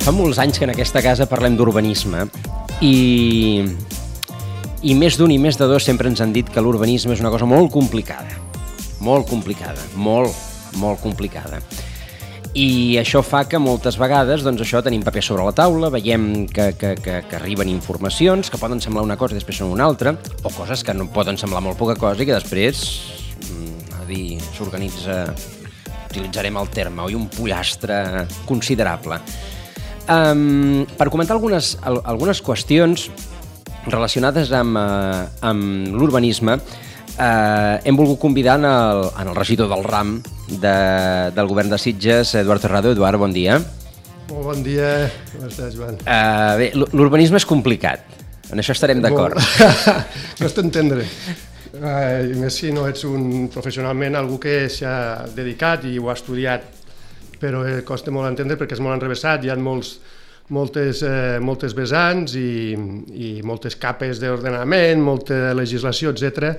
Fa molts anys que en aquesta casa parlem d'urbanisme i més d'un i més de dos sempre ens han dit que l'urbanisme és una cosa molt complicada. Molt complicada, molt complicada. I això fa que moltes vegades tenim paper sobre la taula, veiem que arriben informacions que poden semblar una cosa i després són una altra, o coses que no poden semblar molt poca cosa i que després s'organitza, utilitzarem el terme, un pollastre considerable. Per comentar algunes qüestions relacionades amb l'urbanisme, hem volgut convidar en el regidor del RAM del govern de Sitges, Eduard Terrado. Eduard, bon dia. Molt bon dia. Com estàs, Joan? Bé, l'urbanisme és complicat. En això estarem d'acord. Costa entendre. I més si no ets professionalment algú que s'ha dedicat i ho ha estudiat, però costa molt entendre perquè és molt enrevessat, hi ha moltes vessants i moltes capes d'ordenament, molta legislació, etc.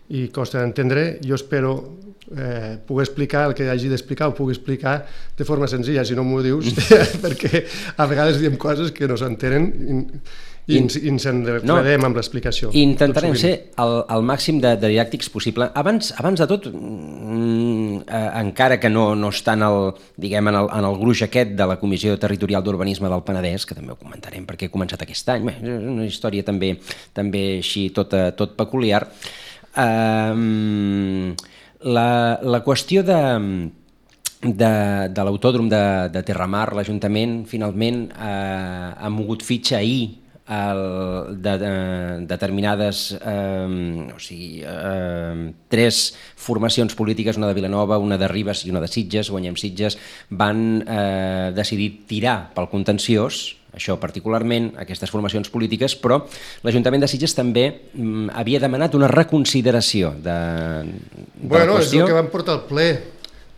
I costa d'entendre. Jo espero poder explicar el que hagi d'explicar, ho pugui explicar de forma senzilla, si no m'ho dius, perquè a vegades diem coses que no s'entenen i ens enredem amb l'explicació. Intentarem ser el màxim de didàctics possible. Abans de tot, encara que no està en el gruix aquest de la Comissió Territorial d'Urbanisme del Penedès, que també ho comentarem perquè ha començat aquest any, és una història també així tot peculiar. La qüestió de l'autòdrom de Terramar, l'Ajuntament finalment ha mogut fitxa ahir de determinades, tres formacions polítiques, una de Vilanova, una de Ribes i una de Sitges, Guanyem Sitges, van decidir tirar pel contenciós, això particularment, aquestes formacions polítiques, però l'Ajuntament de Sitges també havia demanat una reconsideració de la qüestió. És el que vam portar al ple.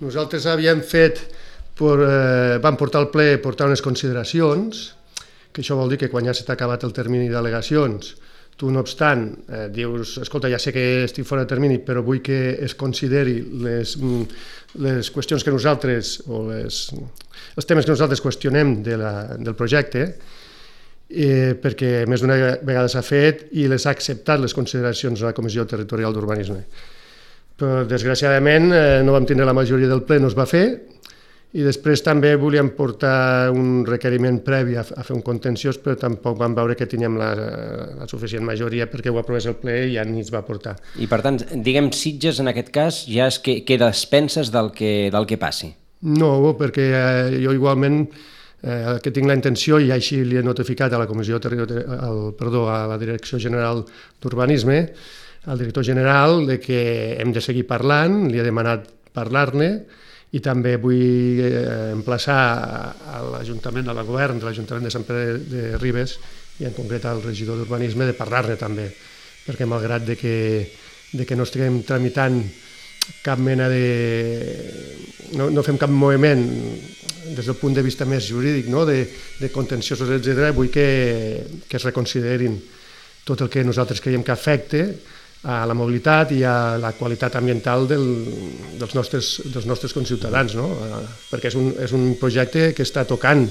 Nosaltres vam portar al ple unes consideracions, que això vol dir que quan ja s'ha acabat el termini d'al·legacions, tu, no obstant, dius, escolta, ja sé que estic fora de termini, però vull que es consideri les qüestions que nosaltres, o els temes que nosaltres qüestionem del projecte, perquè més d'una vegada s'ha fet i les ha acceptat les consideracions de la Comissió Territorial d'Urbanisme. Però, desgraciadament, no vam tindre la majoria del ple, no es va fer, i després també volíem portar un requeriment previ a fer un contenciós, però tampoc vam veure que teníem la suficient majoria perquè ho aprovés el ple i ja ni es va portar. I per tant, diguem, Sitges en aquest cas ja es queda a expenses del que passi? No, perquè jo igualment que tinc la intenció, i així li he notificat a la a la Direcció General d'Urbanisme, al director general, que hem de seguir parlant, li he demanat parlar-ne, i també vull emplaçar a l'Ajuntament, al govern de l'Ajuntament de Sant Pere de Ribes i en concret al regidor d'Urbanisme de parlar-ne també, perquè malgrat que no estiguem tramitant cap mena no fem cap moviment des del punt de vista més jurídic, de contenciosos, etc., vull que es reconsiderin tot el que nosaltres creiem que afecta a la mobilitat i a la qualitat ambiental dels nostres conciutadans, perquè és un projecte que està tocant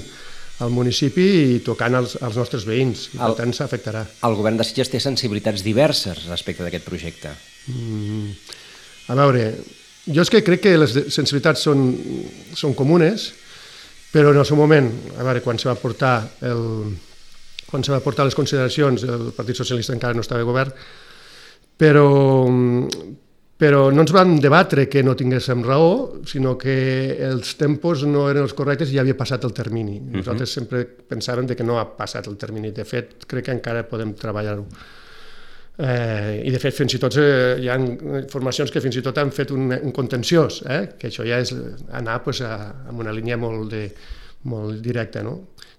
al municipi i tocant als nostres veïns, i per tant s'afectarà. El govern de Sitges té sensibilitats diverses respecte d'aquest projecte. A veure, jo és que crec que les sensibilitats són comunes, però en el seu moment, a veure, quan se va portar les consideracions, el Partit Socialista encara no estava a govern, però no ens vam debatre que no tinguéssim raó, sinó que els tempos no eren els correctes i ja havia passat el termini. Nosaltres sempre pensàvem que no ha passat el termini. De fet, crec que encara podem treballar-ho. I de fet, fins i tot hi ha formacions que fins i tot han fet un contenciós, que això ja és anar amb una línia molt directa,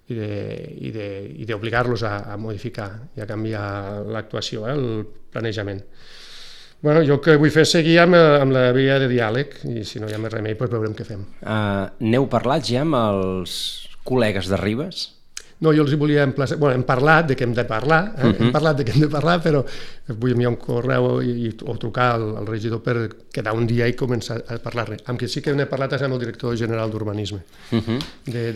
i d'obligar-los a modificar i a canviar l'actuació, el planejament. Jo el que vull fer és seguir amb la via de diàleg i si no hi ha més remei, veurem què fem. N'heu parlat ja amb els col·legues de Ribes? No, jo els hi volia emplaçar... Bueno, hem parlat de que hem de parlar, hem parlat de que hem de parlar, però vull enviar un correu o trucar al regidor per quedar un dia i començar a parlar-ne. Amb qui sí que n'he parlat és amb el director general d'Urbanisme de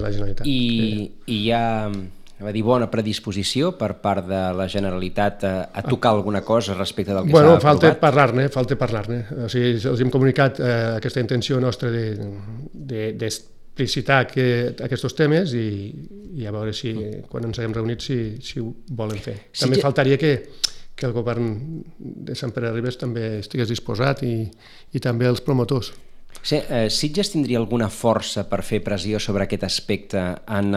la Generalitat. I hi ha, va dir, bona predisposició per part de la Generalitat a tocar alguna cosa respecte del que s'ha aprovat? Bueno, falta parlar-ne. O sigui, els hem comunicat aquesta intenció nostra d'explicitar aquests temes i a veure si quan ens haguem reunit si ho volen fer. També faltaria que el govern de Sant Pere de Ribes també estigués disposat i també els promotors. Sitges tindria alguna força per fer pressió sobre aquest aspecte en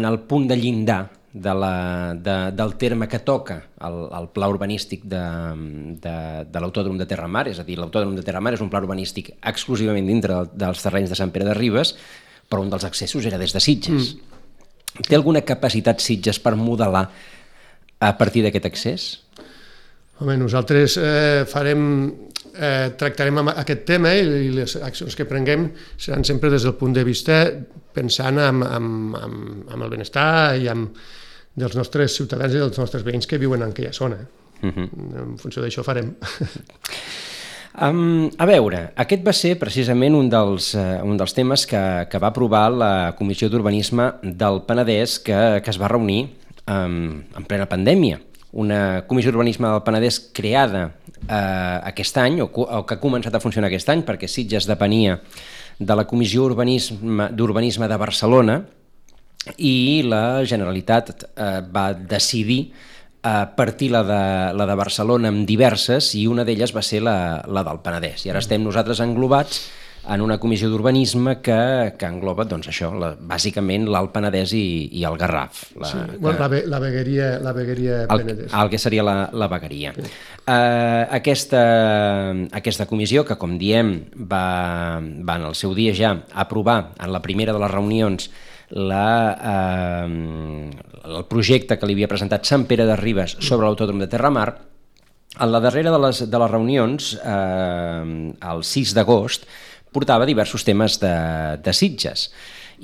el punt de llindar del terme que toca el pla urbanístic de l'Autòdrom de Terramar, és a dir, l'Autòdrom de Terramar és un pla urbanístic exclusivament dintre dels terrenys de Sant Pere de Ribes, però un dels accessos era des de Sitges. Té alguna capacitat Sitges per modelar a partir d'aquest accés? Home, nosaltres tractarem aquest tema i les accions que prenguem seran sempre des del punt de vista pensant en el benestar i dels nostres ciutadans i dels nostres veïns que viuen en aquella zona. En funció d'això farem. A veure, aquest va ser precisament un dels temes que va aprovar la Comissió d'Urbanisme del Penedès que es va reunir en plena pandèmia. Una Comissió d'Urbanisme del Penedès creada aquest any, o que ha començat a funcionar aquest any, perquè Sitges depenia de la Comissió d'Urbanisme de Barcelona, i la Generalitat va decidir partir la de Barcelona amb diverses, i una d'elles va ser la del Penedès. I ara estem nosaltres englobats en una comissió d'urbanisme que engloba, doncs això, bàsicament l'Alt Penedès i el Garraf. La vegueria Penedès. El que seria la vegueria. Aquesta comissió, que com diem va en el seu dia ja aprovar en la primera de les reunions el projecte que li havia presentat Sant Pere de Ribes sobre l'Autòdrom de Terramar, en la darrera de les reunions, el 6 d'agost, portava diversos temes de Sitges.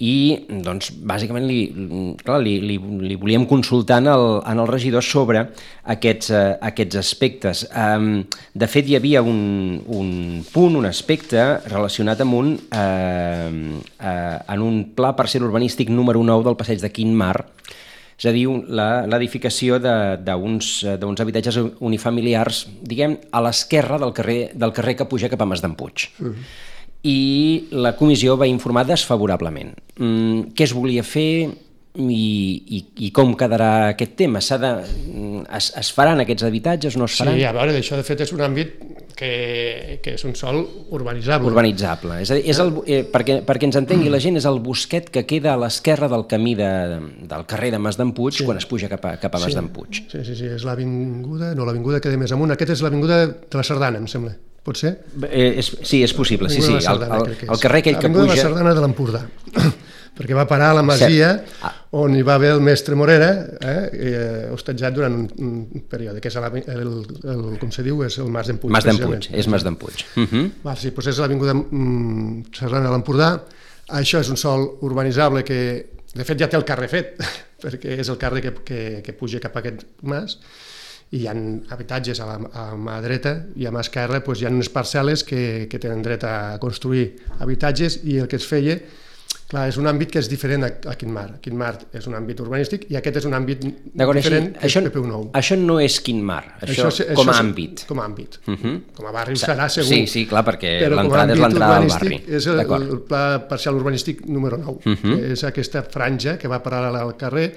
I, doncs, bàsicament li volíem consultar en el regidor sobre aquests aspectes. De fet, hi havia un punt, un aspecte relacionat amb en un pla parcel urbanístic número 9 del passeig de Quint Mar, és a dir, l'edificació d'uns habitatges unifamiliars, diguem, a l'esquerra del carrer que puja cap a Mas d'en-Puig. I la comissió va informar desfavorablement. Què es volia fer i com quedarà aquest tema? Es faran aquests habitatges o no es faran? Sí, a veure, això de fet és un àmbit que és un sòl urbanitzable. Urbanitzable. És a dir, perquè ens entengui la gent, és el bosquet que queda a l'esquerra del camí del carrer de Mas d'en-Puig quan es puja cap a Mas d'en-Puig. Sí, és l'avinguda que ve més amunt. Aquesta és l'avinguda de la Sardana, em sembla. Pot ser? Sí, és possible, sí. El carrer aquell que puja... L'avinguda de la Sardana de l'Empordà, perquè va parar a la masia on hi va haver el mestre Morera, hostatjat durant un període, que és com se diu, és el Mas d'en-Puig. Mas d'en-Puig, és Mas d'en-Puig. Sí, doncs és l'avinguda Sardana de l'Empordà. Això és un sòl urbanitzable que, de fet, ja té el carrer fet, perquè és el carrer que puja cap a aquest mas, i hi ha habitatges a la mà dreta i a mà esquerra hi ha unes parcel·les que tenen dret a construir habitatges, i el que es feia, clar, és un àmbit que és diferent a Quint Mar. Quint Mar és un àmbit urbanístic i aquest és un àmbit diferent que és PPU9. Això no és Quint Mar, això com a àmbit. Com a àmbit. Com a barri serà segur. Sí, clar, perquè l'entrada és l'entrada del barri. És el pla parcial urbanístic número 9, que és aquesta franja que va paral·lela al carrer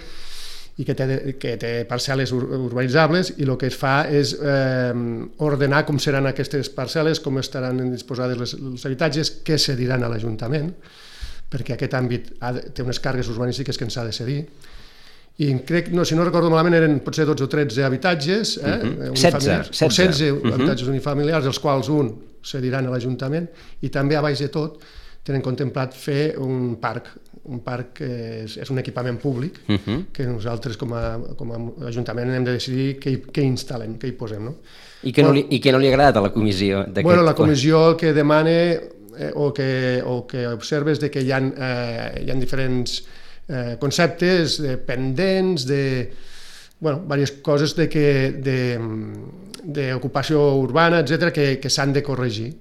i que té parcel·les urbanitzables, i el que es fa és ordenar com seran aquestes parcel·les, com estaran disposades els habitatges, què cediran a l'Ajuntament, perquè aquest àmbit té unes càrregues urbanístiques que ens ha de cedir. I crec, si no recordo malament, eren potser 12 o 13 habitatges, 16 habitatges unifamiliars, dels quals un cediran a l'Ajuntament, i també a baix de tot tenen contemplat fer un parc que és un equipament públic que nosaltres com a Ajuntament hem de decidir què instal·lem, què hi posem. I què no li ha agradat a la comissió? La comissió el que demana o que observes de que hi ha diferents conceptes pendents, diverses coses d'ocupació urbana, etc., que s'han de corregir.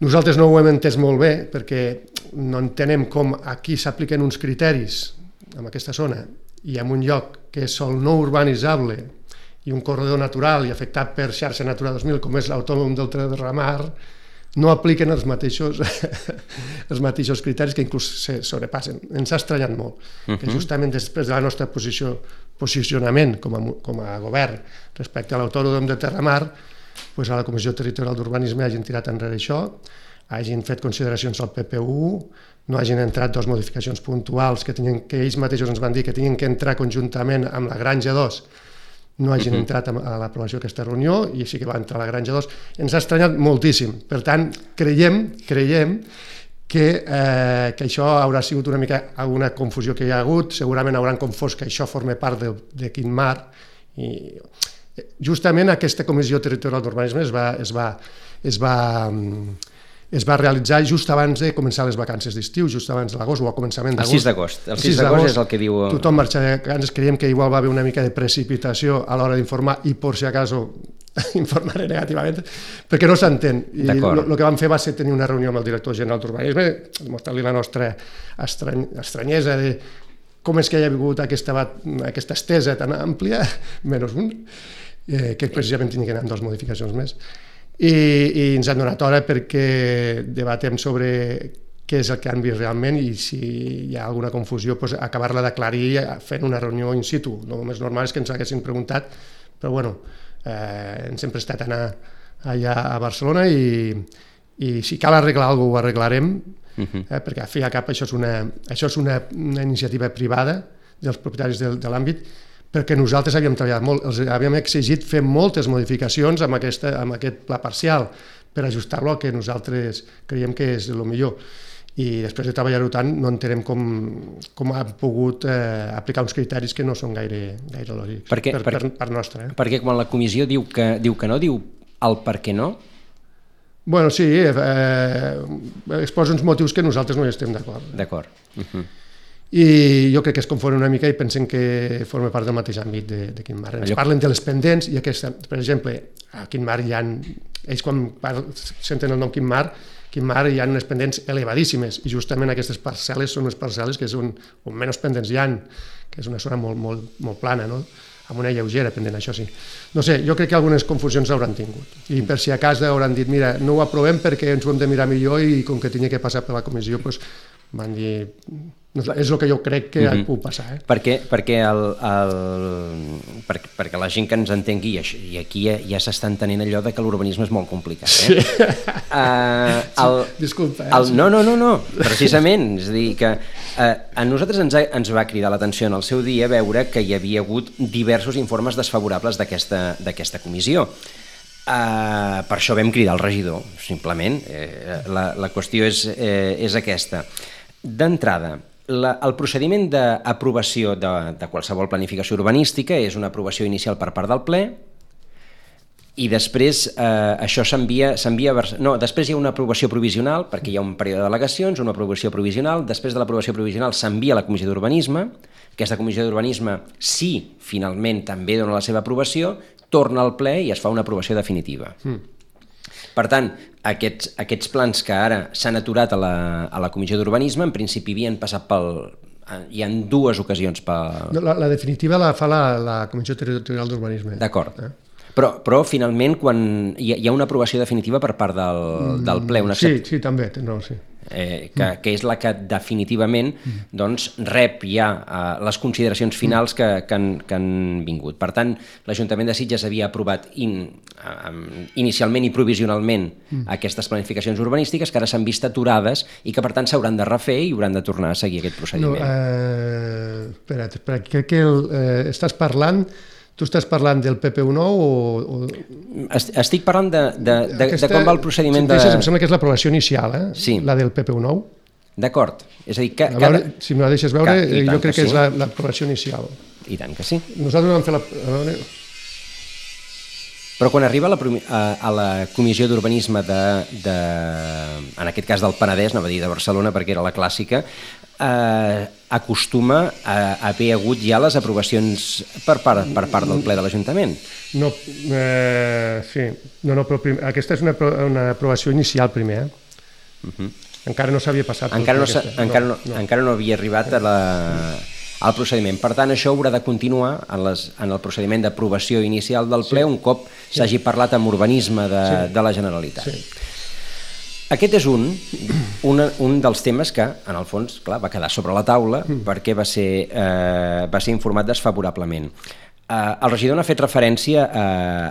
Nosaltres no ho hem entès molt bé perquè no entenem com aquí s'apliquen uns criteris en aquesta zona i en un lloc que és sòl no urbanitzable i un corredor natural i afectat per xarxa Natura 2000 com és l'Autònom del Terramar, no apliquen els mateixos criteris que inclús se sobrepassen. Ens ha estranyat molt que justament després del nostre posicionament com a govern respecte a l'Autònom del Terramar, a la Comissió Territorial d'Urbanisme hagin tirat enrere això, hagin fet consideracions al PPU, no hagin entrat dues modificacions puntuals que ells mateixos ens van dir que tenien que entrar conjuntament amb la Granja 2, no hagin entrat a l'aprovació d'aquesta reunió i sí que va entrar la Granja 2. Ens ha estranyat moltíssim. Per tant, creiem que això haurà sigut una mica alguna confusió que hi ha hagut, segurament hauran confós que això forma part de quin mar, i justament aquesta Comissió Territorial d'Urbanisme es va realitzar just abans de començar les vacances d'estiu, just abans de l'agost o al començament d'agost. El 6 d'agost. El 6 d'agost és el que diu... Tothom marxa de vacances, creiem que igual va haver una mica de precipitació a l'hora d'informar i, por si acaso, informaré negativament, perquè no s'entén. I el que vam fer va ser tenir una reunió amb el director general d'Urbanisme, mostrar-li la nostra estranyesa de com és que hi ha hagut aquesta estesa tan àmplia, menys un, que precisament tinc que anar amb dues modificacions més. I ens han donat hora perquè debatem sobre què és el que han vist realment i si hi ha alguna confusió, acabar-la d'aclarir fent una reunió in situ. El més normal és que ens haguessin preguntat, però bueno, ens hem prestat a anar allà a Barcelona i si cal arreglar alguna cosa ho arreglarem, perquè al fi i al cap això és una iniciativa privada dels propietaris de l'àmbit, perquè nosaltres havíem treballat molt, els havíem exigit fer moltes modificacions amb aquest pla parcial per ajustar-lo al que nosaltres creiem que és el millor. I després de treballar-ho tant no entenem com han pogut aplicar uns criteris que no són gaire lògics per nostra. Perquè quan la comissió diu que no, diu el per què no? Bueno, sí, exposa uns motius que nosaltres no hi estem d'acord. D'acord. I jo crec que es confonen una mica i pensen que forma part del mateix àmbit de quin mar. Ens parlen de les pendents i aquesta, per exemple, a quin mar hi ha, ells quan senten el nom quin mar hi ha unes pendents elevadíssimes i justament aquestes parcel·les són les parcel·les que són on menys pendents hi ha, que és una zona molt plana, no? Amb una lleugera pendent, això sí. No sé, jo crec que algunes confusions hauran tingut i per si a casa hauran dit, mira, no ho aprovem perquè ens ho hem de mirar millor i com que tenia que passar per la comissió, doncs van dir... És el que jo crec que ha pogut passar. Perquè la gent que ens entengui, i aquí ja s'està entenent allò de que l'urbanisme és molt complicat. Sí. Disculpa. No, precisament. És a dir, que a nosaltres ens va cridar l'atenció en el seu dia veure que hi havia hagut diversos informes desfavorables d'aquesta comissió. Per això vam cridar el regidor, simplement. La qüestió és aquesta. D'entrada, el procediment d'aprovació de qualsevol planificació urbanística és una aprovació inicial per part del ple i després això s'envia... No, després hi ha una aprovació provisional perquè hi ha un període d'al·legacions, una aprovació provisional, després de l'aprovació provisional s'envia a la Comissió d'Urbanisme, aquesta Comissió d'Urbanisme, si finalment també dona la seva aprovació, torna al ple i es fa una aprovació definitiva. Per tant, aquests plans que ara s'han aturat a la Comissió d'Urbanisme, en principi havien passat hi ha dues ocasions pel... La definitiva la fa la Comissió Territorial d'Urbanisme. D'acord. Però finalment, quan hi ha una aprovació definitiva per part del ple... Sí, també. Sí. Que és la que definitivament rep ja les consideracions finals que han vingut. Per tant, l'Ajuntament de Sitges havia aprovat inicialment i provisionalment aquestes planificacions urbanístiques que ara s'han vist aturades i que per tant s'hauran de refer i hauran de tornar a seguir aquest procediment. Espera't, crec que estàs parlant... Tu estàs parlant del PPU nou o... Estic parlant de com va el procediment de... Em sembla que és l'aprovació inicial, Sí. La del PPU nou. D'acord. És a dir, si me la deixes veure, jo crec que és l'aprovació inicial. I tant que sí. Nosaltres vam fer Però quan arriba a la Comissió d'Urbanisme en aquest cas del Penedès, no va dir de Barcelona perquè era la clàssica, acostuma a haver hagut ja les aprovacions per part del ple de l'Ajuntament. No, sí, però aquesta és una aprovació inicial primer, Encara no s'havia passat. Encara no havia arribat al procediment. Per tant, això haurà de continuar en el procediment d'aprovació inicial del ple un cop s'hagi parlat amb urbanisme de la Generalitat. Aquest és un dels temes que, en el fons, clar, va quedar sobre la taula perquè va ser informat desfavorablement. El regidor n'ha fet referència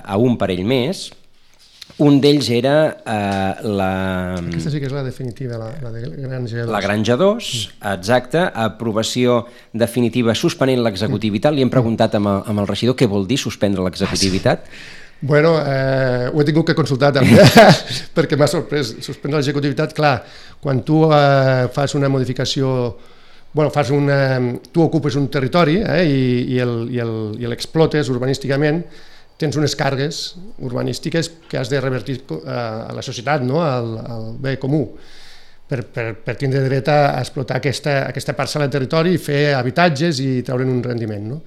a un parell més. Un d'ells era Aquesta sí que és la definitiva, la de Granja 2. La Granja 2, exacte, aprovació definitiva suspenent l'executivitat. Li hem preguntat amb el regidor què vol dir suspendre l'executivitat. Bueno, ho he tingut que consultar també, perquè m'ha sorprès. Suspendre l'executivitat, clar, quan tu fas una modificació, tu ocupes un territori i l'explotes urbanísticament, tens unes càrregues urbanístiques que has de revertir a la societat, al bé comú, per tindre dret a explotar aquesta parcel·la de territori i fer habitatges i treure'n un rendiment.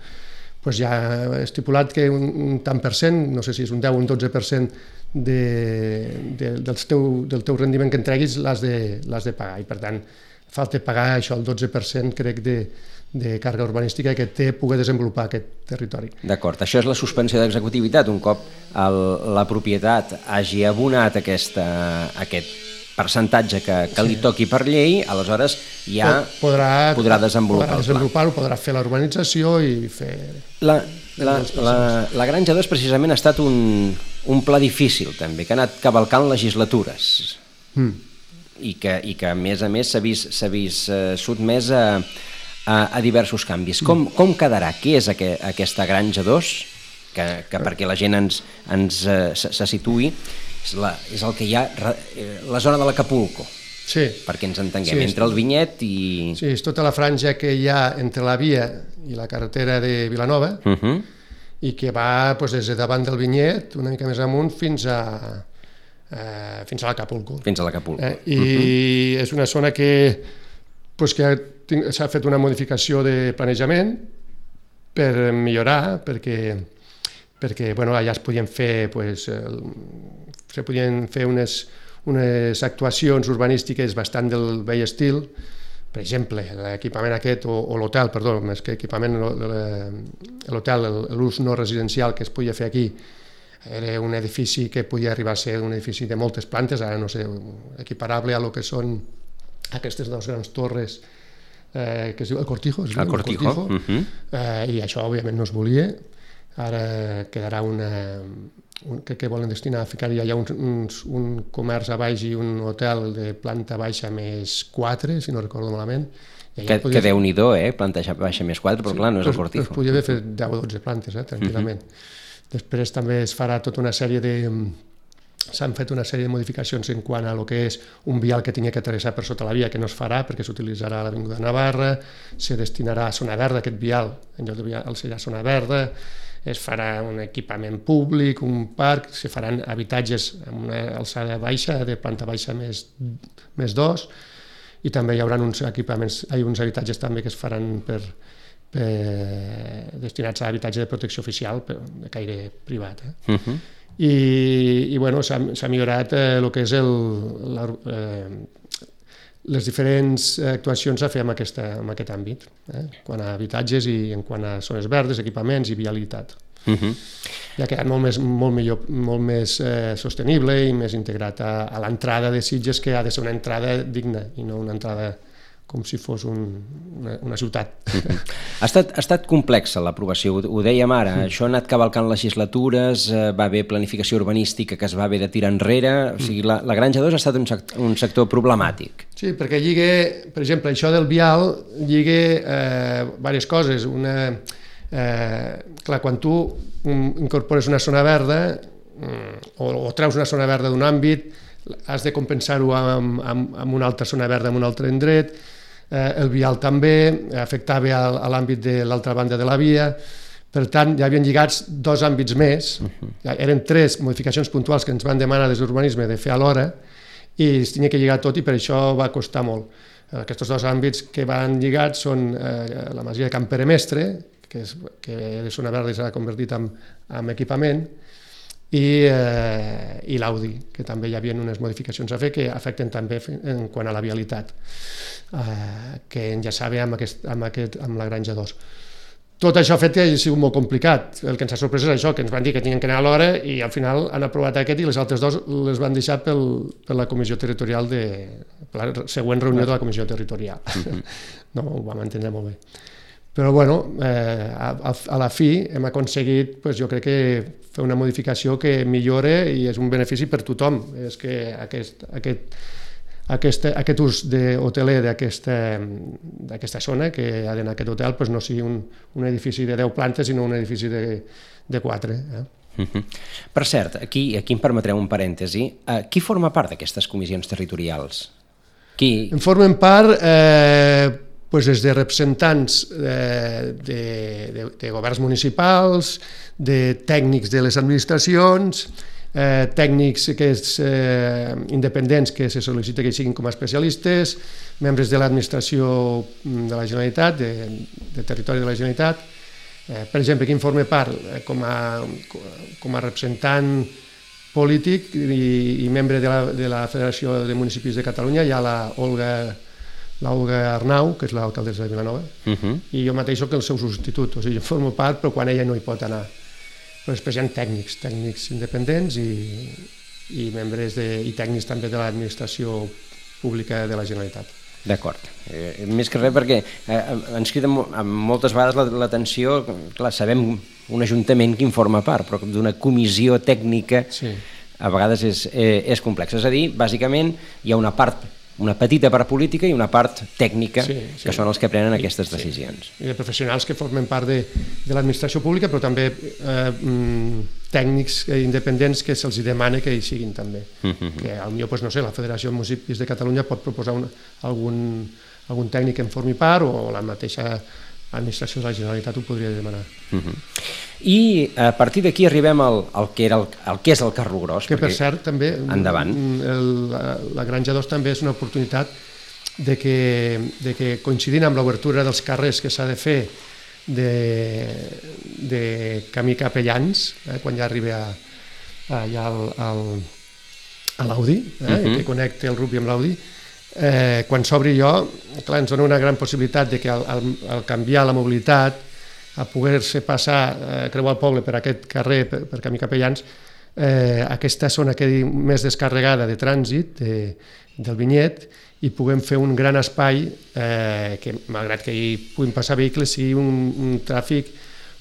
Doncs ja he estipulat que un tant per cent, no sé si és un 10 o un 12% del teu rendiment que entreguis l'has de pagar, i per tant falta pagar això, el 12% crec de càrrega urbanística que té poder desenvolupar aquest territori. D'acord, això és la suspensió d'executivitat. Un cop la propietat hagi abonat aquest percentatge que li toqui per llei, aleshores ja podrà desenvolupar-ho. Podrà fer la urbanització i fer... La Granja 2 precisament ha estat un pla difícil també, que ha anat cavalcant legislatures i que a més s'ha vist sotmès a diversos canvis. Com quedarà? Què és aquesta Granja 2? Que perquè la gent se situï, és el que hi ha la zona de l'Acapulco, perquè ens entenguem, entre el Vinyet i... Sí, és tota la franja que hi ha entre la via i la carretera de Vilanova i que va des de davant del Vinyet una mica més amunt fins a l'Acapulco. I és una zona que s'ha fet una modificació de planejament per millorar, perquè allà es podien fer unes actuacions urbanístiques bastant del vell estil. Per exemple, l'equipament aquest, o l'hotel, perdó, més que equipament, l'hotel, l'ús no residencial que es podia fer aquí, era un edifici que podia arribar a ser un edifici de moltes plantes, ara no sé, equiparable a lo que són aquestes dues grans torres que es diu el Cortijo, i això òbviament no es volia. Ara quedarà que volen destinar a ficar-hi allà un comerç a baix i un hotel de planta baixa més 4, si no recordo malament. Que Déu-n'hi-do, planta baixa més 4, però clar, no és el Cortijo. Es podia haver fet 10 o 12 plantes, tranquil·lament. Després també es farà tota una sèrie de... S'han fet una sèrie de modificacions en quant a lo que és un vial que tingui que atravessar per sota la via, que no es farà perquè s'utilitzarà a l'Avinguda Navarra, se destinarà a zona verda aquest vial, en lloc de vial serà zona verda, es farà un equipament públic, un parc, se faran habitatges amb una alçada baixa, de planta baixa més 2, i també hi haurà uns habitatges també que es faran destinats a habitatge de protecció oficial, de caire privat. I s'ha millorat el que és les diferents actuacions a fer en aquest àmbit, quant a habitatges i en quant a zones verdes, equipaments i vialitat. Ja ha quedat molt més sostenible i més integrat a l'entrada de Sitges, que ha de ser una entrada digna i no una entrada com si fos una ciutat. Ha estat complexa l'aprovació, ho dèiem ara, això ha anat cavalcant legislatures, va haver planificació urbanística que es va haver de tirar enrere, o sigui, la Granja 2 ha estat un sector problemàtic. Sí, perquè lliga, per exemple, això del vial lliga diverses coses. Clar, quan tu incorpores una zona verda o treus una zona verda d'un àmbit, has de compensar-ho amb una altra zona verda en un altre indret. El vial també afectava a l'àmbit de l'altra banda de la via, Per tant, ja havien lligats 2 àmbits més, eren 3 modificacions puntuals que ens van demanar des d'urbanisme de fer alhora, i es tenia que lligar tot i per això va costar molt. Aquests 2 àmbits que van lligats són la masia de Can Peremestre, que Zona Verda s'ha convertit en equipament, i l'Audi, que també hi havia unes modificacions a fer que afecten també en quant a la vialitat, que enllaçava amb la Granja 2. Tot això ha fet que hagi sigut molt complicat. El que ens ha sorprès és això, que ens van dir que tenien que anar a l'hora i al final han aprovat aquest i les altres 2 les van deixar per la comissió territorial, per la següent reunió de la comissió territorial. No ho vam entendre molt bé. Però bueno, a la fi hem aconseguit, jo crec que fer una modificació que millora i és un benefici per tothom. És que aquest ús hoteler d'aquesta zona, que hi ha d'anar aquest hotel, no sigui un edifici de 10 plantes, sinó un edifici de 4. Per cert, aquí em permetreu un parèntesi. Qui forma part d'aquestes comissions territorials? En formen part des de representants de governs municipals, de tècnics de les administracions, tècnics independents que se sol·licita que siguin com a especialistes, membres de l'administració de la Generalitat, de territori de la Generalitat. Per exemple, qui en forma part com a representant polític i membre de la Federació de Municipis de Catalunya hi ha l'Olga Arnau, que és l'alcaldessa de Vilanova, i jo mateix soc el seu substitut, o sigui, jo formo part però quan ella no hi pot anar. Però després hi ha tècnics independents i membres i tècnics també de l'administració pública de la Generalitat. D'acord. Més que res perquè ens crida moltes vegades l'atenció, clar, sabem un ajuntament que en forma part, però d'una comissió tècnica a vegades és complex. És a dir, bàsicament hi ha una petita part política i una part tècnica, que són els que prenen aquestes decisions. I de professionals que formen part de l'administració pública, però també tècnics independents que se'ls demana que hi siguin també. Que potser, no sé, la Federació de Municipis de Catalunya pot proposar algun tècnic que en formi part o la mateixa administració de la Generalitat ho podria demanar. I a partir d'aquí arribem al que és el Carro Gros. Que per cert també la Granja 2 també és una oportunitat de que coincidint amb l'obertura dels carrers que s'ha de fer de camí Capellans, quan ja arriba allà a l'Audi, que connecta el Rupi amb l'Audi, quan s'obri allò, clar, ens dona una gran possibilitat de que al canviar la mobilitat, a poder-se passar, creuar el poble per aquest carrer, per camí Capellans, aquesta zona quedi més descarregada de trànsit del Vinyet i puguem fer un gran espai que, malgrat que hi puguin passar vehicles, sigui un tràfic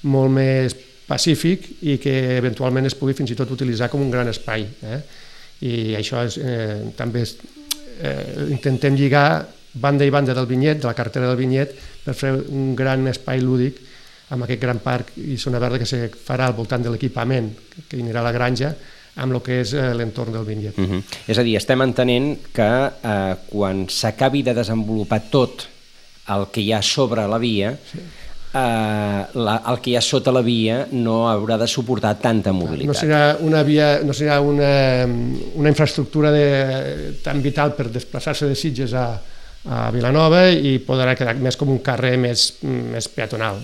molt més pacífic i que eventualment es pugui fins i tot utilitzar com un gran espai. I això també intentem lligar banda i banda del Vinyet, de la carretera del Vinyet, per fer un gran espai lúdic amb aquest gran parc i zona verda que se farà al voltant de l'equipament que anirà a la granja amb el que és l'entorn del Vinyet. És a dir, estem entenent que quan s'acabi de desenvolupar tot el que hi ha sobre la via, el que hi ha sota la via no haurà de suportar tanta mobilitat. No serà una infraestructura tan vital per desplaçar-se de Sitges a Vilanova i podrà quedar més com un carrer més peatonal,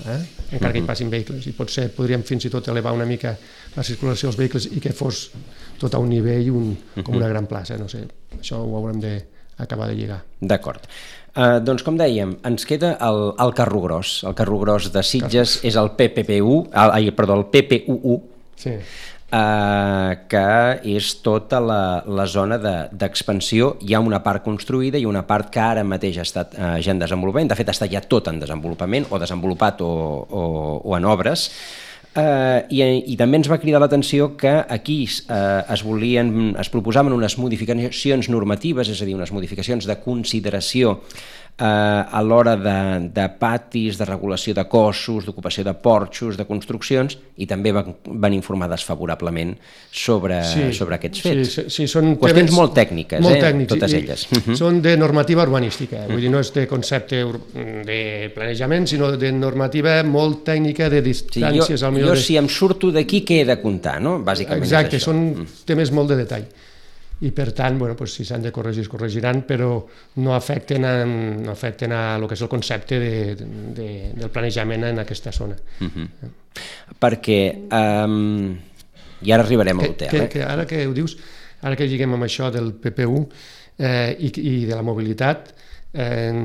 encara que hi passin vehicles. I potser podríem fins i tot elevar una mica la circulació dels vehicles i que fos tot a un nivell com una gran plaça. No sé, això ho haurem d'acabar de lligar. D'acord. Doncs com dèiem, ens queda el Carro Gros. El Carro Gros de Sitges és el el PPUU, que és tota la zona d'expansió. Hi ha una part construïda i una part que ara mateix ha estat ja en desenvolupament. De fet, està ja tot en desenvolupament, o desenvolupat o en obres. I també ens va cridar l'atenció que aquí es proposaven unes modificacions normatives, és a dir, unes modificacions de consideració a l'hora de patis, de regulació de cossos, d'ocupació de porxos, de construccions, i també van informar desfavorablement sobre aquests fets. Sí, són qüestions molt tècniques, totes elles. Són de normativa urbanística, vull dir, no és de concepte de planejament, sinó de normativa molt tècnica, de distàncies... Jo si em surto d'aquí, què he de comptar, no? Bàsicament és això. Exacte, són temes molt de detall. I per tant, si s'han de corregir, es corregiran, però no afecten a el que és el concepte del planejament en aquesta zona. Perquè, i ara arribarem a l'hotel. Ara que ho dius, ara que lliguem amb això del PPU i de la mobilitat,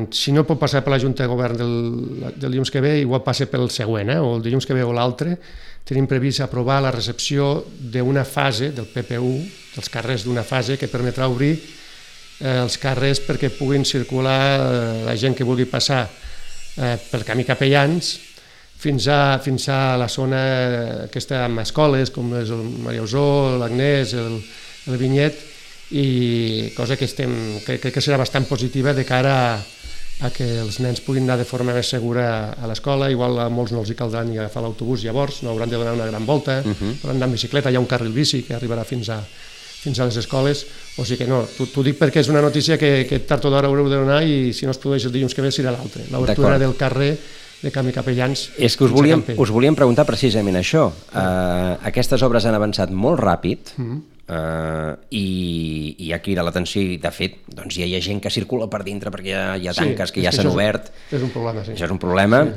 si no pot passar per la Junta de Govern del dilluns que ve, igual passa pel següent, o el dilluns que ve o l'altre, tenim previst aprovar la recepció d'una fase del PPU, dels carrers d'una fase que permetrà obrir els carrers perquè puguin circular la gent que vulgui passar pel camí Capellans fins a la zona aquesta amb escoles com és el Maria Usó, l'Agnès, el Vinyet, i cosa que crec que serà bastant positiva de cara a que els nens puguin anar de forma més segura a l'escola. Igual a molts no els hi caldrà ni agafar l'autobús llavors, no hauran de donar una gran volta, hauran d'anar en bicicleta, hi ha un carril bici que arribarà fins a les escoles, o sigui que no, t'ho dic perquè és una notícia que tard o d'hora haureu de donar i si no es produeix el dilluns que ve serà l'altre, l'obertura del carrer de Camí Capellans. És que us volíem preguntar precisament això. Aquestes obres han avançat molt ràpid i ha cridat l'atenció i de fet doncs ja hi ha gent que circula per dintre perquè hi ha tanques que ja s'han obert. És un problema, sí. Això és un problema.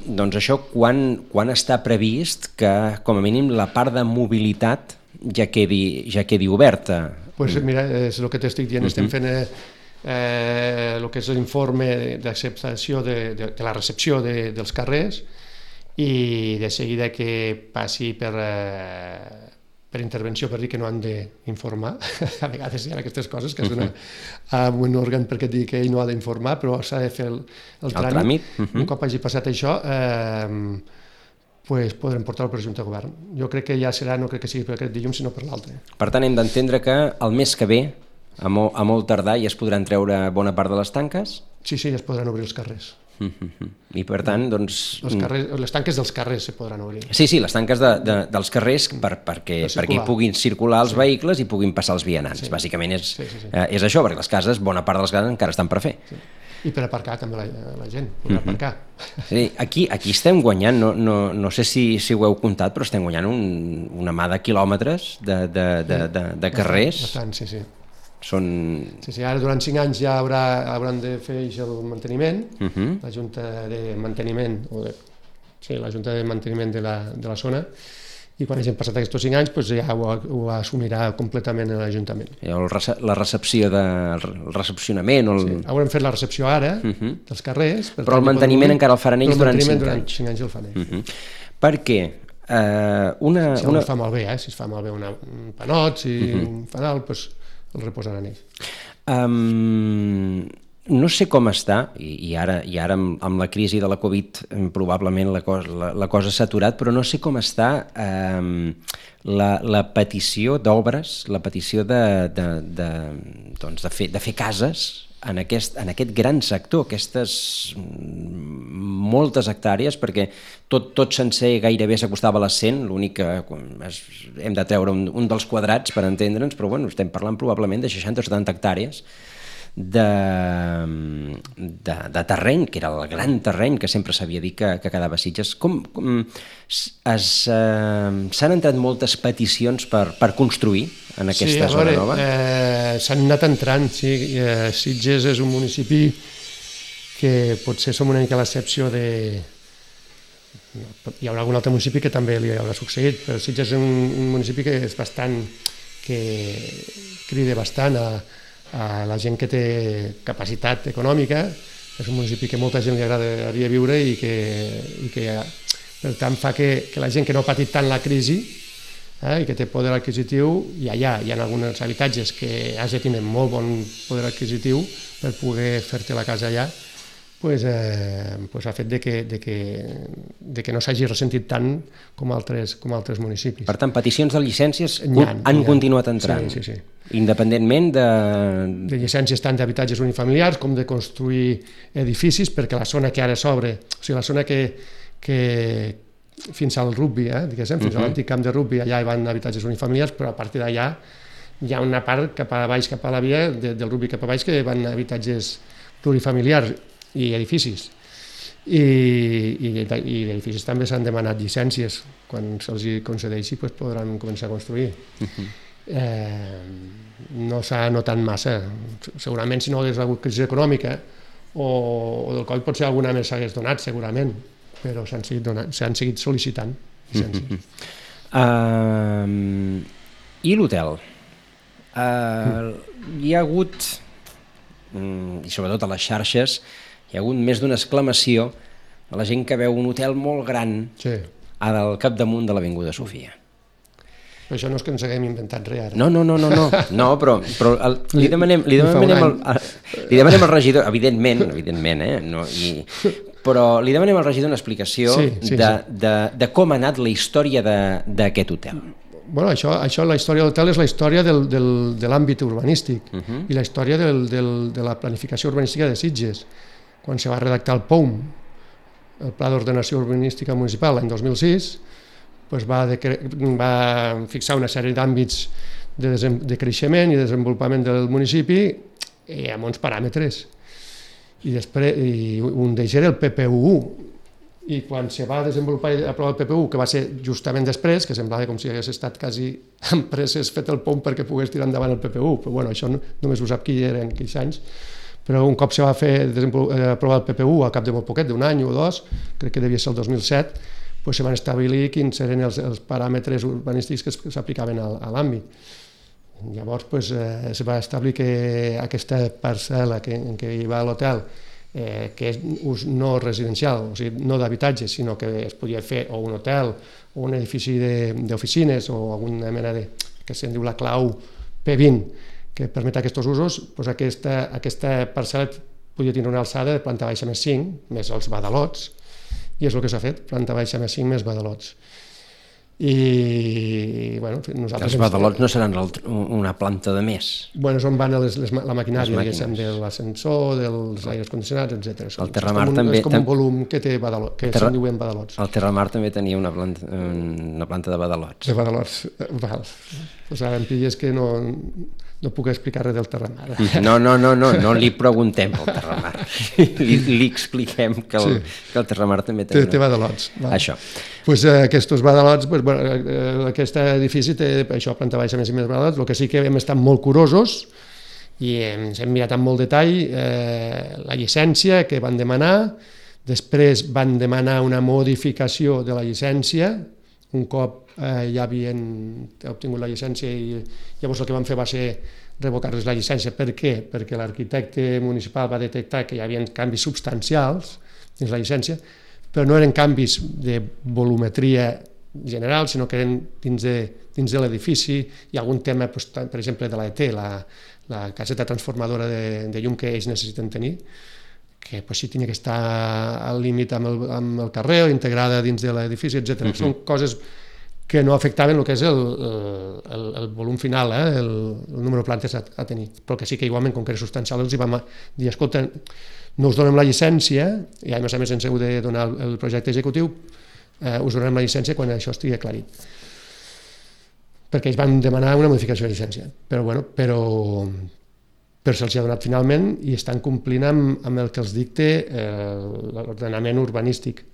Doncs això, quan està previst que com a mínim la part de mobilitat ja quedi oberta? Doncs mira, és el que t'estic dient, estem fent el que és l'informe d'acceptació de la recepció dels carrers i de seguida que passi per intervenció, per dir que no han d'informar. A vegades hi ha aquestes coses que es donen a un òrgan perquè et digui que ell no ha d'informar, però s'ha de fer el tràmit. Un cop hagi passat això, podrem portar-ho per Junta de Govern. Jo crec que ja serà, no crec que sigui per aquest dilluns, sinó per l'altre. Per tant, hem d'entendre que el mes que ve, a molt tardar, ja es podran treure bona part de les tanques? Sí, ja es podran obrir els carrers. I per tant, doncs... Les tanques dels carrers se podran obrir. Sí, les tanques dels carrers perquè hi puguin circular els vehicles i puguin passar els vianants. Bàsicament és això, perquè les cases, bona part de les cases encara estan per fer. I per aparcar també la gent, podrà aparcar. Sí, aquí estem guanyant, no sé si ho heu comptat, però estem guanyant una mà de quilòmetres de carrers. Bastant, sí. Sí, ara durant 5 anys ja hauran de fer el manteniment, la Junta de Manteniment de la zona, i quan hagin passat aquests 5 anys ja ho assumirà completament l'Ajuntament. El recepcionament... Haurem fet la recepció ara dels carrers... Però el manteniment encara el faran ells durant 5 anys. Durant 5 anys el fan ells. Per què? Si es fa malbé, si es fa malbé un panot, si un fanal, el reposaran ells. No sé com està, i ara amb la crisi de la Covid probablement la cosa s'ha aturat, però no sé com està la petició d'obres, la petició de fer cases en aquest gran sector, aquestes moltes hectàrees, perquè tot sencer gairebé s'acostava a les 100, l'únic que hem de treure un dels quadrats per entendre'ns, però bueno, estem parlant probablement de 60 o 70 hectàrees de terreny, que era el gran terreny que sempre s'havia dit que quedava a Sitges. S'han entrat moltes peticions per construir en aquesta zona nova? S'han anat entrant, sí. Sitges és un municipi que potser som una mica l'excepció de... Hi haurà algun altre municipi que també li haurà succeït, però Sitges és un municipi que és bastant... que crida bastant a la gent que té capacitat econòmica. És un municipi que molta gent li agradaria viure i que per tant fa que la gent que no ha patit tant la crisi i que té poder adquisitiu, i allà hi ha alguns habitatges que has de tenir molt bon poder adquisitiu per poder fer-te la casa allà, ha fet de que no s'hagi ressentit tant com altres municipis. Per tant, peticions de llicències han continuat entrant. Sí. Independentment de llicències tant d'habitatges unifamiliars com de construir edificis, perquè la zona que ara s'obre, o sigui, la zona que fins al rugby, diguéssim, fins a l'antic camp de rugby, allà hi van habitatges unifamiliars, però a partir d'allà hi ha una part cap a baix, cap a la via, del rugby cap a baix, que van habitatges plurifamiliars i edificis. I edificis també s'han demanat llicències. Quan se'ls concedeixi podran començar a construir. No s'ha notat massa. Segurament si no hagués hagut crisi econòmica o del Covid potser alguna més s'hagués donat, segurament, però s'han seguit sol·licitant llicències. I l'hotel? Hi ha hagut, i sobretot a les xarxes, hi ha hagut més d'una exclamació a la gent que veu un hotel molt gran al capdamunt de l'Avinguda Sofia. Però això no és que ens haguem inventat res ara. No, però li demanem al regidor, evidentment, però li demanem al regidor una explicació de com ha anat la història d'aquest hotel. Bueno, això, la història de l'hotel és la història de l'àmbit urbanístic i la història de la planificació urbanística de Sitges. Quan se va redactar el POUM, el Pla d'Ordenació Urbanística Municipal, l'any 2006, va fixar una sèrie d'àmbits de creixement i desenvolupament del municipi amb uns paràmetres. I un d'ells era el PPU1. I quan se va desenvolupar i aprovar el PPU, que va ser justament després, que semblava com si hagués estat quasi amb presses fet el POUM perquè pogués tirar endavant el PPU, però bueno, això només ho sap qui era en aquells anys. Però un cop se va aprovar el PPU, al cap de molt poquet, d'un any o dos, crec que devia ser el 2007, doncs se van establir quins eren els paràmetres urbanístics que s'aplicaven a l'àmbit. Llavors se va establir que aquesta parcel·la en què hi va l'hotel, que és ús no residencial, o sigui, no d'habitatge, sinó que es podia fer o un hotel o un edifici d'oficines o alguna mena que se'n diu la clau P20, que permet aquests usos, doncs aquesta parcel·la podia tenir una alçada de planta baixa més 5, més els badalots, i és el que s'ha fet, planta baixa més 5 més badalots. I bueno, nosaltres... Els badalots no seran una planta de més? Bueno, és on van la maquinària, diguéssim, de l'ascensor, dels aires condicionats, etc. El Terramar també... És com un volum que té badalots, que se'n diuen badalots. El Terramar també tenia una planta de badalots. De badalots, val. Doncs ara em pilles que no puc explicar res del Terramar. No li preguntem pel Terramar. Li expliquem que el Terramar també té badalots. Això. Doncs aquests badalots, aquest edifici té això, planta baixa més i més badalots. El que sí que hem estat molt curosos i ens hem mirat amb molt detall la llicència que van demanar, després van demanar una modificació de la llicència, un cop ja havien obtingut la llicència i llavors el que van fer va ser revocar-les la llicència. Per què? Perquè l'arquitecte municipal va detectar que hi havia canvis substancials dins la llicència, però no eren canvis de volumetria general, sinó que eren dins de l'edifici. Hi ha algun tema, per exemple, de l'ET, la caseta transformadora de llum que ells necessiten tenir, que sí tenia que estar al límit amb el carrer o integrada dins de l'edifici, etc. Són coses que no afectaven el que és el volum final, el número de plantes a tenir, però que sí que igualment, com que era substancial, els vam dir, escolta, no us donem la llicència, i a més ens heu de donar el projecte executiu, us donem la llicència quan això estigui aclarit. Perquè ells van demanar una modificació de llicència, però se'ls ha donat finalment i estan complint amb el que els dicta l'ordenament urbanístic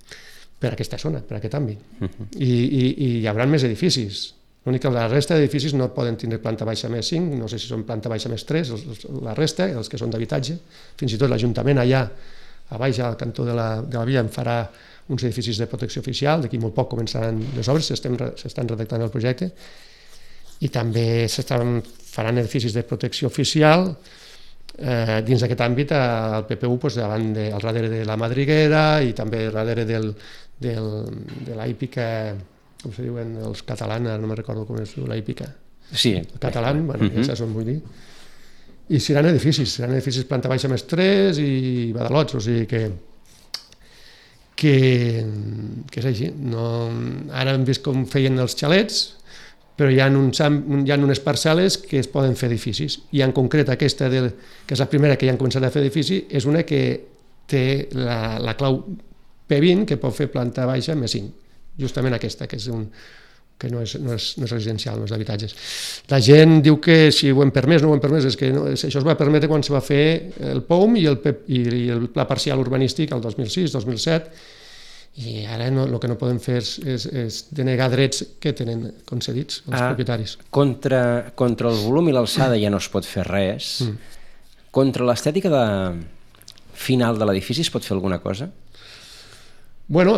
per aquesta zona, per aquest àmbit. I hi haurà més edificis. L'únic que la resta d'edificis no poden tenir planta baixa més 5, no sé si són planta baixa més 3, la resta, els que són d'habitatge. Fins i tot l'Ajuntament allà, a baix, al cantó de la via, en farà uns edificis de protecció oficial, d'aquí molt poc començaran les obres, s'estan redactant el projecte, i també faran edificis de protecció oficial dins d'aquest àmbit al PPU, al darrere de la Madriguera i també al darrere de la hípica, com se diuen els catalans, no me'n recordo com es diu la hípica. Sí. El català, ja saps on vull dir. I seran edificis planta baixa més 3 i badalots, o sigui que és així. Ara hem vist com feien els xalets, però hi ha unes parcel·les que es poden fer edificis, i en concret aquesta, que és la primera que ja han començat a fer edifici, és una que té la clau P20, que pot fer planta baixa més 5, justament aquesta, que no és residencial, no és d'habitatges. La gent diu que si ho hem permès, no ho hem permès, és que això es va permetre quan se va fer el POUM i el pla parcial urbanístic el 2006, 2007, i ara el que no podem fer és denegar drets que tenen concedits els propietaris. Contra el volum i l'alçada ja no es pot fer res. Contra l'estètica final de l'edifici es pot fer alguna cosa? Bueno,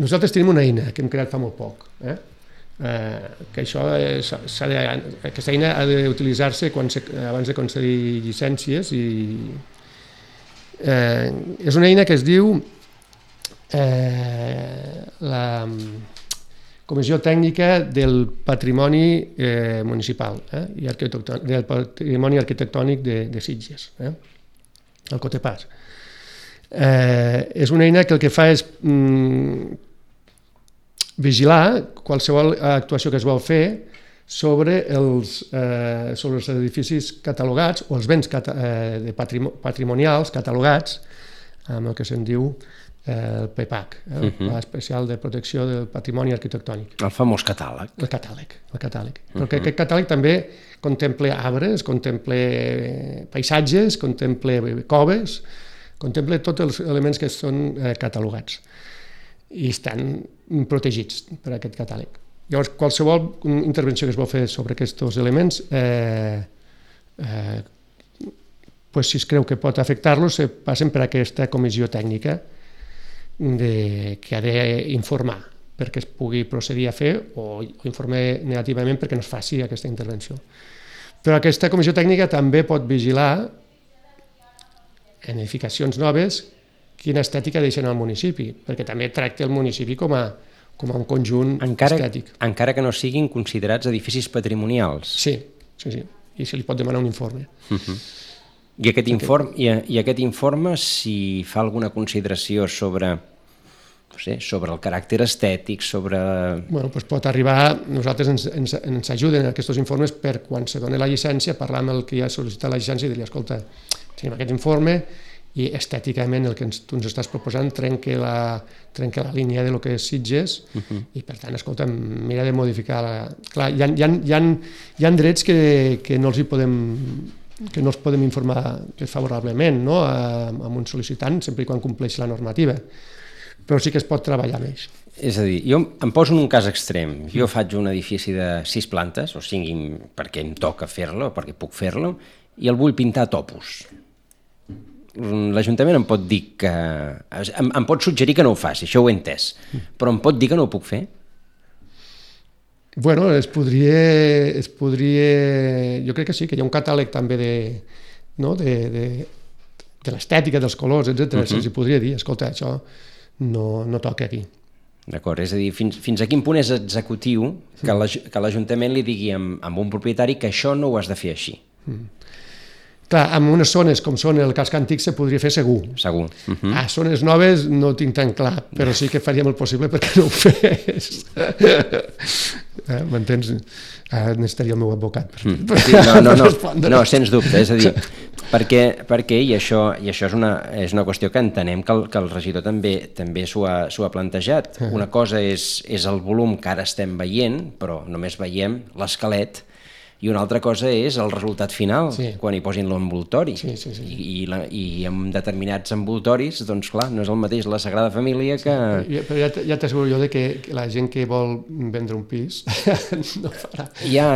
nosaltres tenim una eina que hem creat fa molt poc, que aquesta eina ha d'utilitzar-se abans de concedir llicències, i és una eina que es diu la Comissió Tècnica del Patrimoni Municipal i del Patrimoni Arquitectònic de Sitges, el COTEPAS. És una eina que el que fa és vigilar qualsevol actuació que es vol fer sobre els edificis catalogats o els béns patrimonials catalogats amb el que se'n diu el PPAC, el Pla Especial de Protecció del Patrimoni Arquitectònic. El famós catàleg. El catàleg. Perquè aquest catàleg també contempla arbres, contempla paisatges, contempla coves, contempla tots els elements que són catalogats i estan protegits per aquest catàleg. Llavors, qualsevol intervenció que es vol fer sobre aquests elements, si es creu que pot afectar-los, passen per aquesta comissió tècnica que ha d'informar perquè es pugui procedir a fer o informar negativament perquè no es faci aquesta intervenció. Però aquesta comissió tècnica també pot vigilar en edificacions noves quina estètica deixen al municipi, perquè també tracta el municipi com a un conjunt estètic. Encara que no siguin considerats edificis patrimonials. Sí, i se li pot demanar un informe. I aquest informe, si fa alguna consideració sobre el caràcter estètic, sobre... Pot arribar, nosaltres ens ajuden aquests informes per quan se doni la llicència, parlar amb el que ha sol·licitat la llicència i dir-li, escolta, tenim aquest informe i estèticament el que tu ens estàs proposant trenca la línia del que és Sitges i per tant, escolta, mira de modificar Clar, hi ha drets que no els podem informar favorablement amb un sol·licitant, sempre i quan compleix la normativa, però sí que es pot treballar amb ells. És a dir, jo em poso en un cas extrem, jo faig un edifici de 6 plantes, o 5 perquè em toca fer-lo, o perquè puc fer-lo, i el vull pintar a topos. L'Ajuntament em pot dir que... em pot suggerir que no ho faci, això ho he entès, però em pot dir que no ho puc fer? Bueno, es podria... Jo crec que sí, que hi ha un catàleg també de l'estètica, dels colors, etc. Se'ls podria dir, escolta, això no toca aquí. D'acord, és a dir, fins a quin punt és executiu que l'Ajuntament li digui a un propietari que això no ho has de fer així? Clar, en unes zones com són el casc antic se podria fer segur. Segur. A zones noves no ho tinc tan clar, però sí que faríem el possible perquè no ho fes. M'entens? Necessitaria el meu advocat. No, sens dubte, és a dir, perquè i això és una qüestió que entenem que el regidor també s'ho ha plantejat. Una cosa és el volum que ara estem veient, però només veiem l'esquelet, i una altra cosa és el resultat final, quan hi posin l'envoltori. I amb determinats envoltoris, doncs clar, no és el mateix la Sagrada Família que... Però ja t'asseguro jo que la gent que vol vendre un pis no farà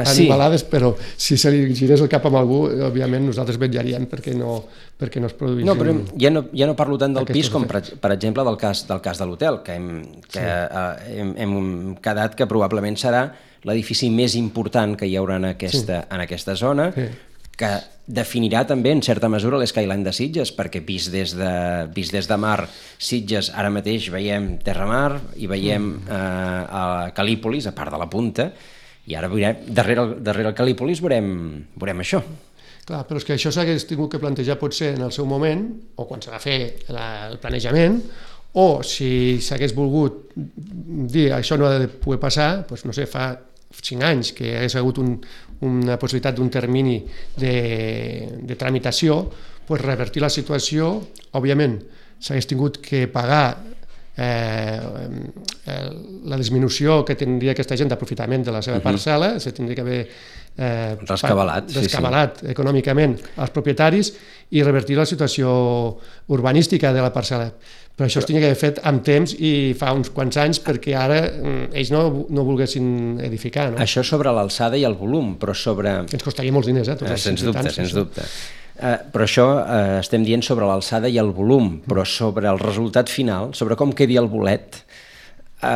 animalades, però si se li girés el cap amb algú, òbviament nosaltres vetllaríem perquè no es produís... No, però ja no parlo tant del pis com, per exemple, del cas de l'hotel, que hem quedat que probablement serà l'edifici més important que hi haurà en aquesta zona, que definirà també, en certa mesura, l'Skyline de Sitges, perquè vist des de mar, Sitges, ara mateix veiem Terramar i veiem a Calípolis, a part de la punta, i ara darrere el Calípolis veurem això. Clar, però és que això s'hagués tingut que plantejar potser en el seu moment, o quan s'ha de fer el planejament, o si s'hagués volgut dir això no ha de poder passar, doncs, no sé, fa 5 anys que hagués hagut una possibilitat d'un termini de tramitació, doncs revertir la situació, òbviament s'hagués tingut que pagar la disminució que tindria aquesta gent d'aprofitament de la seva parcel·la, se tindria que haver rescabalat econòmicament als propietaris i revertir la situació urbanística de la parcel·la. Però això es tenia que haver fet amb temps i fa uns quants anys, perquè ara ells no volguessin edificar. Això sobre l'alçada i el volum, però sobre... Ens costaria molts diners, sens dubte. Però això estem dient sobre l'alçada i el volum, però sobre el resultat final, sobre com quedi el bolet... No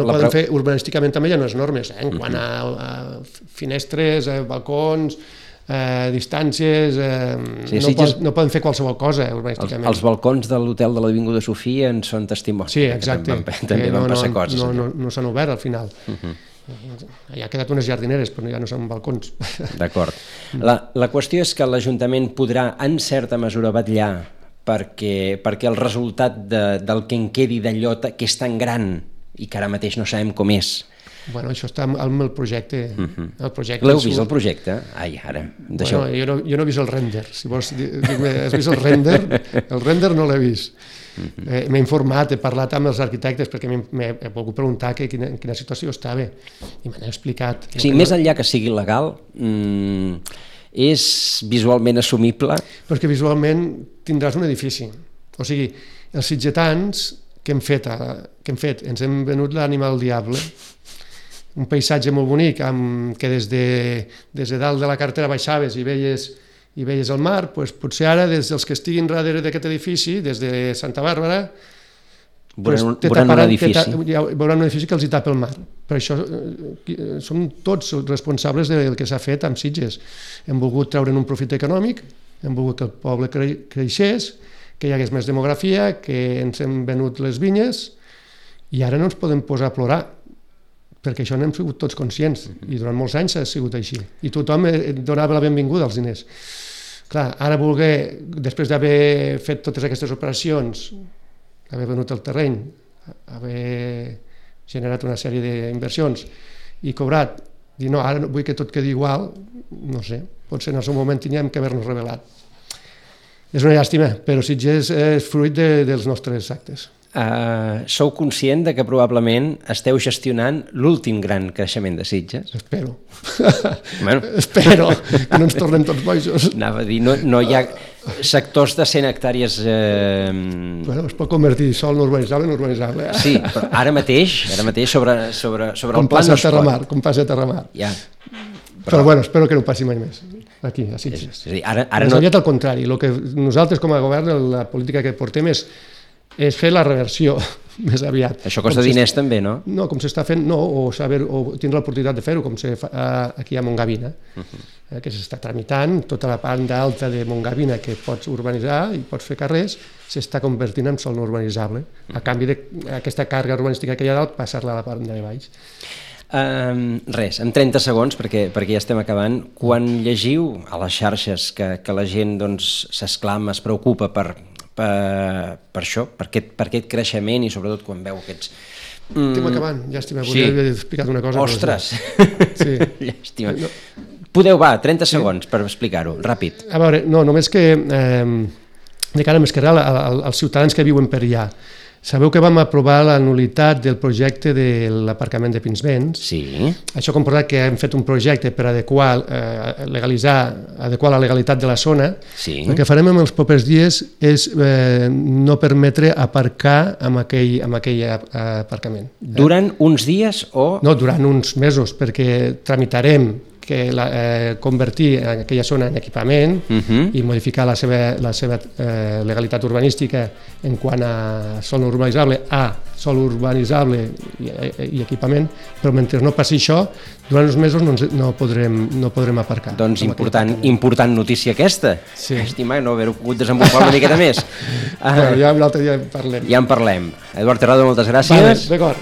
poden fer urbanísticament també hi ha unes normes, en quant a finestres, balcons, distàncies, no poden fer qualsevol cosa urbanísticament. Els balcons de l'hotel de l'Avinguda Sofia en són testimoni. Sí, exacte. També van passar coses. No s'han obert al final. Ja ha quedat unes jardineres, però ja no són balcons. D'acord. La qüestió és que l'Ajuntament podrà, en certa mesura, vetllar perquè el resultat del que en quedi d'allò que és tan gran i que ara mateix no sabem com és. Bueno, això està amb el projecte. L'heu vist, el projecte? Ai, ara... Jo no he vist el render. Si vols dir-me, has vist el render? El render no l'he vist. M'he informat, he parlat amb els arquitectes perquè m'he volgut preguntar en quina situació estava i m'han explicat. Sí, més enllà que sigui legal, és visualment assumible? Perquè visualment tindràs un edifici. O sigui, els sitgetans que hem fet, ens hem venut l'Ànima del Diable, un paisatge molt bonic que des de dalt de la carretera baixaves i veies el mar, doncs potser ara des dels que estiguin darrere d'aquest edifici, des de Santa Bàrbara, veuran un edifici que els hi tapa el mar. Per això som tots responsables del que s'ha fet amb Sitges. Hem volgut treure'n un profit econòmic, hem volgut que el poble creixés, que hi hagués més demografia, que ens hem venut les vinyes i ara no ens podem posar a plorar, perquè això n'hem sigut tots conscients i durant molts anys ha sigut així i tothom donava la benvinguda als diners. Clar, ara després d'haver fet totes aquestes operacions, haver venut el terreny, haver generat una sèrie d'inversions i cobrat, dir no, ara vull que tot quedi igual, no sé, potser en el seu moment tinguem que haver-nos rebel·lat. És una llàstima, però Sitges és fruit dels nostres actes. Sou conscient de que probablement esteu gestionant l'últim gran creixement de Sitges? Espero. Espero que no ens tornem tots bojos. Anava a dir, no hi ha sectors de 100 hectàrees... Es pot convertir sòl no urbanitzable en urbanitzable. Sí, però ara mateix sobre el pla no es pot. Com passa a Terramar. Ja. Però bueno, espero que no passi mai més aquí, a Sitges. Més aviat al contrari, el que nosaltres com a govern, la política que portem és fer la reversió més aviat. Això costa diners també, no? No, com s'està fent, no, o tindre l'oportunitat de fer-ho, com se fa aquí a Montgavina, que s'està tramitant, tota la banda alta de Montgavina que pots urbanitzar i pots fer carrers, s'està convertint en sòl no urbanitzable, a canvi d'aquesta càrrega urbanística que hi ha dalt, passar-la a la part de baix. Res, en 30 segons, perquè ja estem acabant, quan llegiu a les xarxes que la gent s'esclama, es preocupa per això, per aquest creixement i sobretot quan veu aquests... Estem acabant, llàstima, volia haver explicat una cosa. Ostres, llàstima. Podeu, 30 segons per explicar-ho, ràpid. A veure, no, només que de cara més que res als ciutadans que viuen per allà. Sabeu que vam aprovar la nul·litat del projecte de l'aparcament de Pinsbens? Sí. Això ha comportat que hem fet un projecte per adequar la legalitat de la zona. Sí. El que farem en els propers dies és no permetre aparcar amb aquell aparcament. Durant uns dies o...? No, durant uns mesos, perquè tramitarem convertir aquella zona en equipament i modificar la seva legalitat urbanística en quant a sòl urbanitzable sòl urbanitzable i equipament, però mentre no passi això, durant uns mesos no podrem aparcar. Doncs important notícia aquesta. Sí. Estima no haver-ho pogut desenvolupar una miqueta més. Ja l'altre dia en parlem. Ja en parlem. Eduard Terrado, moltes gràcies. D'acord.